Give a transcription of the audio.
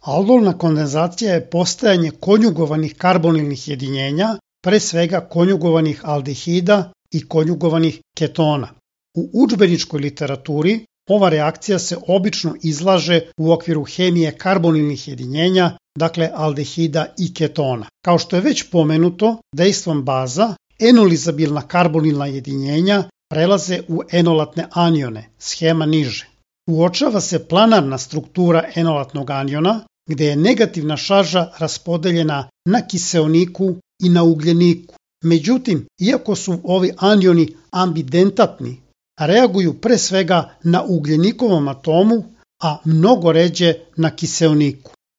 Aldolna kondenzacija je postajanje konjugovanih karbonilnih jedinjenja, pre svega konjugovanih aldehida i konjugovanih ketona. U udžbeničkoj literaturi ova reakcija se obično izlaže u okviru hemije karbonilnih jedinjenja, dakle aldehida i ketona. Kao što je već pomenuto, dejstvom baza enolizabilna karbonilna jedinjenja prelaze u enolatne anione, schema niže. Uočava se planarna struktura enolatnog aniona, gde je negativna šarža raspodeljena na kiseoniku i na ugljeniku. Međutim, iako su ovi anioni ambidentatni, reaguju pre svega na ugljenikovom atomu, a mnogo ređe na kiseoniku.